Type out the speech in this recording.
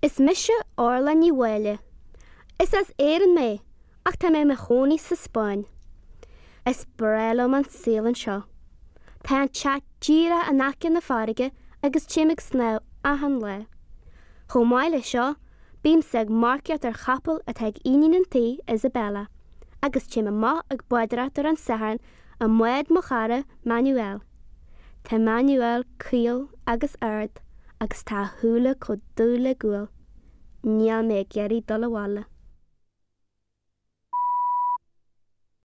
Is mise Orla Ní Mháille. Is as Éirinn mé ach tá mé i mo chónaí sa Spáinn. Is breá liom an saol anseo. Tá an teach díreach in aice na farraige agus téim ag snámh achan lá. Chomh maith leis seo, bímse ag marcaíocht ar chapall atá ag iníon an tí, Isabella, agus téim amach ag bádóireacht ar an Satharn i mbád mo chara, Manuel. Tá Manuel caol agus ard agus tá a shúile chomh dubh le gual. Níl mé ag iarraidh dul abhaile.